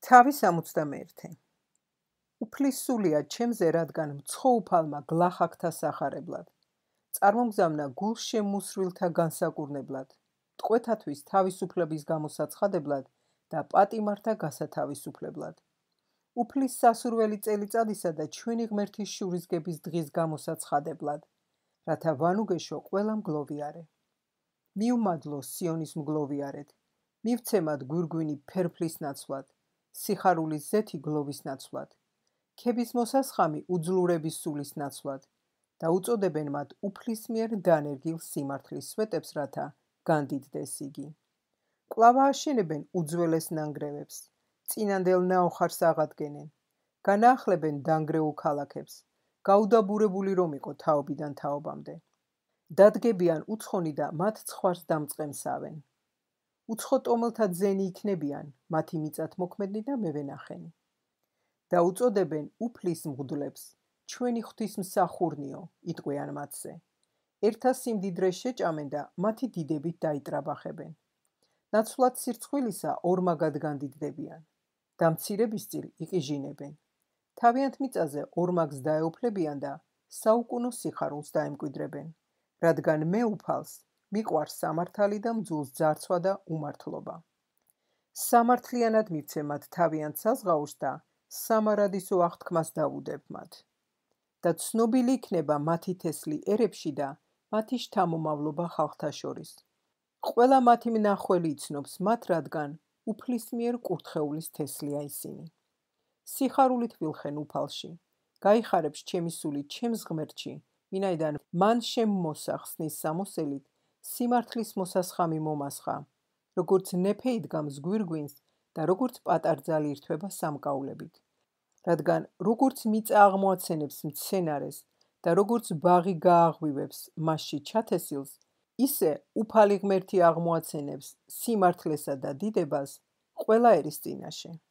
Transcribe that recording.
თავი 61. უფლისსულია ჩემზე, რადგან მცხოუფალმა გლახაკთა სახარებლად. წარმომგზავნა გულშემუსრვილთა განსაკურნებლად. მტყვეთათვის თავისუფლების გამოსაცხადებლად და პატიმართა გასათავისუფლებლად. უფლის სასურველი წელიწადისა და ჩვენი ღმერთის შურისგების დღის გამოსაცხადებლად, რათა ვანუგეშო ყველა მგლოვიარე. მიუმადლო სიონის მგლოვიარეთ, მივცემად გვირგვინი ფერფლის ნაცვლად, სიხარულის ზეთი გლოვის ნაცვლად, ქების მოსასხამი უძლურების სულის ნაცვლად და უწოდებენ მათ უფლის მიერ დანერგილ სიმართლის სვეტებს, რათა განდიდდეს იგი. კვლავ ააშენებენ უძველეს ნანგრევებს, წინანდელ ნაოხარს აღადგენენ, განაახლებენ დანგრეულ ქალაქებს, გაუდაბურებული რომ იყო თაობიდან თაობამდე. დადგებიან უცხონი და მათ ცხვარს დამწყემსავენ. უცხო ტომელთა ძენი იქნებიან, მათი მიწათმოქმედნი და მევენახენი. და უწოდებენ უფლის მღვდლებს, ჩვენი ღვთისმსახურნიო, იტყვიან მათზე. ერთა სიმდიდრეს შეჭამენ და მათი დიდებით დაიტრაბახებენ. ნაცვლად სირცხვილისა ორმაგად განდიდდებიან. და მცირებისწილ იყიჟინებენ. თავიანთ მიწაზე ორმაგს დაეუფლებიან და საუკუნო სიხარულს დაემკვიდრებენ. რადგან მე უფალს, მიყვარს სამართალი და მძულს ძარცვა და უმართლობა. სამართლიანად მივცე მათ თავიანთ საზღაურს და სამარადისო აღთქმას დავუდებ მათ. და ცნობილი იქნება მათი თესლი ერებში და მათი შთამომავლობა ხალხთა შორის. ყველა მათი მნახველი იცნობს მათ, რადგან უფლის მიერ კურთხეულის თესლია ისინი. სიხარულით ვილხენ უფალში, გაიხარებს ჩემი სული ჩემს ღმერთში, ვინაიდან მან შემმოსა ხსნის სამოსელით, სიმართლის მოსასხამი მომასხა, როგორც ნეფე იდგამს გვირგვინს და როგორც პატარძალი ირთვება სამკაულებით. რადგან როგორც მიწა აღმოაცენებს მცენარეს და როგორც ბაღი გააღვივებს მასში ჩათესილს, ისე უფალი ღმერთი აღმოაცენებს სიმართლესა და დიდებას ყველა ერის წინაშე.